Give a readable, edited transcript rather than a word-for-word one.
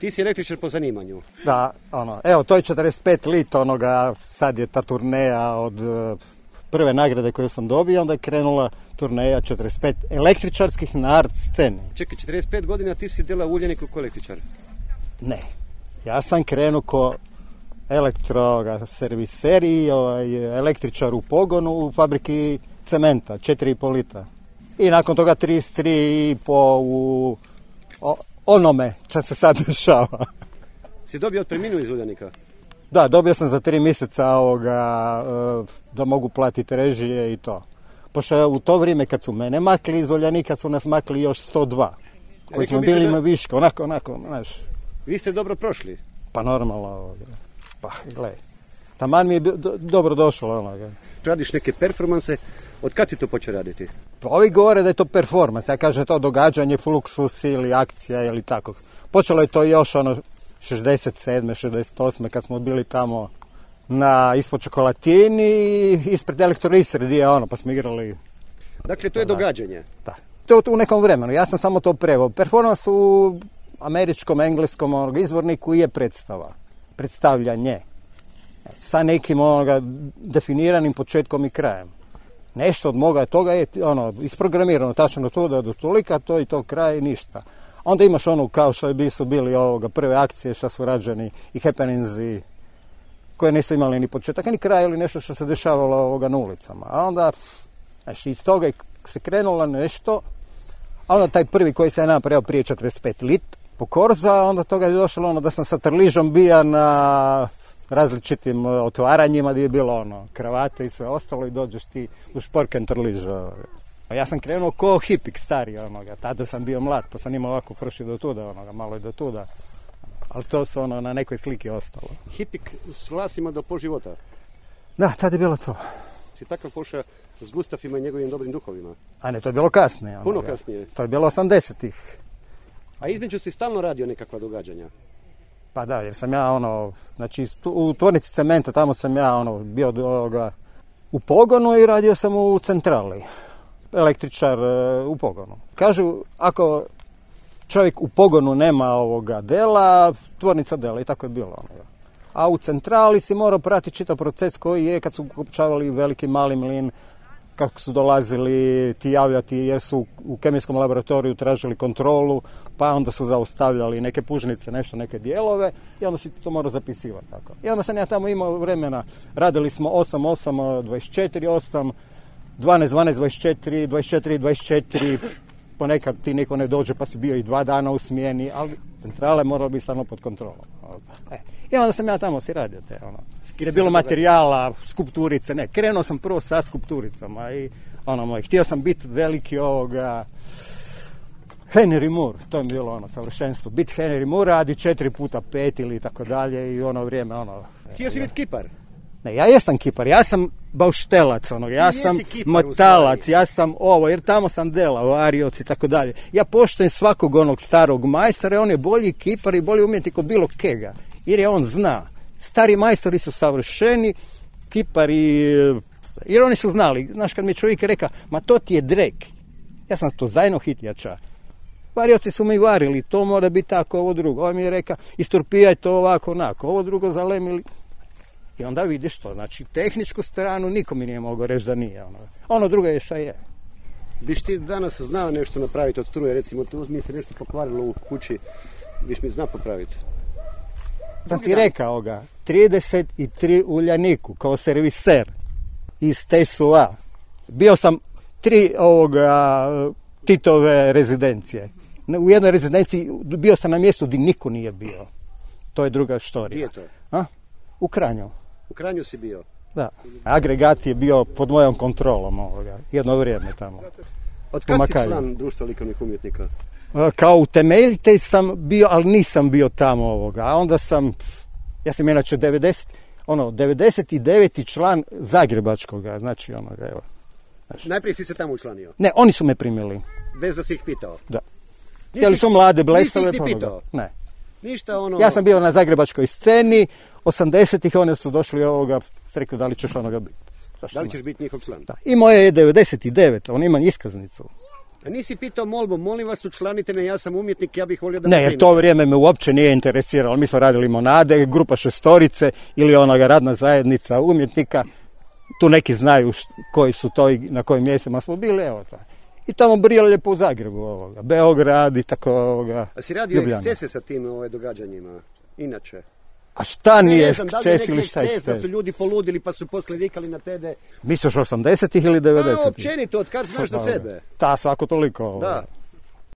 Ti si električar po zanimanju. Da, evo, to je 45 lit onoga, sad je ta turneja od prve nagrade koju sam dobio, onda je krenula turneja 45 električarskih na art sceni. Čekaj, 45 godina ti si delao Uljaniku ko električar? Ne, ja sam krenuo ko elektroserviser i električar u pogonu u fabriki cementa, 4,5 litra. I nakon toga 33,5 u onome što se sad dešava. Si dobio otpremninu iz Uljanika? Da, dobio sam za 3 mjeseca da mogu platiti režije i to. Pošto u to vrijeme kad su mene makli iz Uljanika su nas makli još 102. Koji smo bili ima viška, onako, znaš. Vi ste dobro prošli? Pa normalno, pa gledaj. Taman mi je dobro došlo. Radiš neke performanse, od kad si to počeo raditi? Pa ovi govore da je to performans, ja kažem to događanje, fluksus ili akcija ili tako. Počelo je to još 67. 68. kad smo bili tamo ispod Čokolatini, ispred Elektroistre, pa smo igrali. Dakle, to je događanje? Da. To u nekom vremenu, ja sam samo to preveo. Performans u američkom, engleskom izvorniku je predstavljanje. Sa nekim definiranim početkom i krajem. Nešto od moga toga je isprogramirano, tačno to da do tolika, to i to kraj, ništa. Onda imaš kao što su bili prve akcije što su rađeni i happenings koje nisu imali ni početak ni kraj ili nešto što se dešavalo na ulicama. A onda iz toga se krenulo nešto, a onda taj prvi koji se je napravio prije 45 lit po Korza, onda toga je došlo da sam sa Trližom bija na različitim otvaranjima gdje je bilo kravate i sve ostalo i dođeš ti u šporken Trliža. A ja sam krenuo ko hipik stari, tada sam bio mlad, pa sam imao ovako prši do tuda, malo i do tuda. Ali to su na nekoj sliki ostalo. Hipik s vlasima do po života? Da, tada je bilo to. Si takav pošao s Gustafima i njegovim dobrim duhovima? A ne, to je bilo kasnije. Puno kasnije? To je bilo 80-ih. A između si stalno radio nekakva događanja? Pa da, jer sam ja u tvornici cementa, tamo sam ja bio u pogonu i radio sam u centrali. Električar u pogonu. Kažu, ako čovjek u pogonu nema dela, tvornica dela i tako je bilo. A u centrali si morao pratiti čitav proces koji je kad su ukopčavali veliki mali mlin, kako su dolazili ti javljati jer su u kemijskom laboratoriju tražili kontrolu, pa onda su zaustavljali neke pužnice, neke dijelove i onda si to morao zapisivati. Tako. I onda sam ja tamo imao vremena, radili smo 8, 24, 8, 12, 24, 24, 24, ponekad ti niko ne dođe pa si bio i 2 dana u smjeni, ali centrale moralo biti samo pod kontrolom. I onda sam ja tamo si radio te, jer je bilo materijala, skulpturice, krenuo sam prvo sa skulpturicama i htio sam biti veliki Henry Moore, to je bilo savršenstvo, biti Henry Moore, radi 4x5 ili tako dalje i vrijeme, Htio si biti kipar? Ne, ja jesam kipar, ja sam bauštelac, ja sam motalac, ja sam jer tamo sam delao, arioc i tako dalje. Ja poštujem svakog starog majstora, on je bolji kipar i bolji umjetnik od bilo kega, jer je on zna. Stari majstori su savršeni, kipari, jer oni su znali, znaš kad mi čovjek reka, ma to ti je drek, ja sam to zajedno hitjača. Varioci su mi varili, to mora biti tako, ovo drugo, on mi je reka, isturpijaj to ovako, onako, ovo drugo zalemili. I onda vidiš to, znači tehničku stranu niko mi nije mogao reći da nije. Ono drugo je šta je. Biš ti danas znao nešto napraviti od struje, recimo tu mi se nešto pokvarilo u kući, biš mi znao popraviti? Sam ti rekao 33 Uljaniku kao serviser iz TSUA. Bio sam 3 Titove rezidencije. U jednoj rezidenciji bio sam na mjestu gdje niko nije bio. To je druga štorija. Gdje je to? U Kranju. U Kranju si bio? Da. Agregat je bio pod mojom kontrolom jedno vrijeme tamo. Od kad si član društva likovnih umjetnika? Kao utemeljitelj sam bio, ali nisam bio tamo A onda ja sam inače 99. član Zagrebačkoga, znači evo. Najprije si se tamo učlanio? Ne, oni su me primili. Bez da si ih pitao? Da. Htjeli su mlade blesave. Nisi ih ni pitao? Ne. Ništa Ja sam bio na zagrebačkoj sceni, 80-ih oni su došli rekli da li ćeš biti. Da li ćeš biti njihov član? Da. I moje je 99, on ima iskaznicu. A nisi pitao molbu, molim vas učlanite me, ja sam umjetnik, ja bih volio da Ne, jer to vrijeme me uopće nije interesiralo. Mi smo radili Monade, grupa Šestorice ili onoga radna zajednica umjetnika. Tu neki znaju koji su to i na kojim mjestima smo bili, evo to. I tamo brijalo lijepo u Zagrebu, Beograd i tako, A si radio ekscese sa tim događanjima, inače? A šta nije eksces ili šta je eksces? Da su ljudi poludili pa su poslije vikali na tebe. Misliš 80-ih ili 90-ih? Općenito, od kad znaš za sebe? Svako toliko. Da.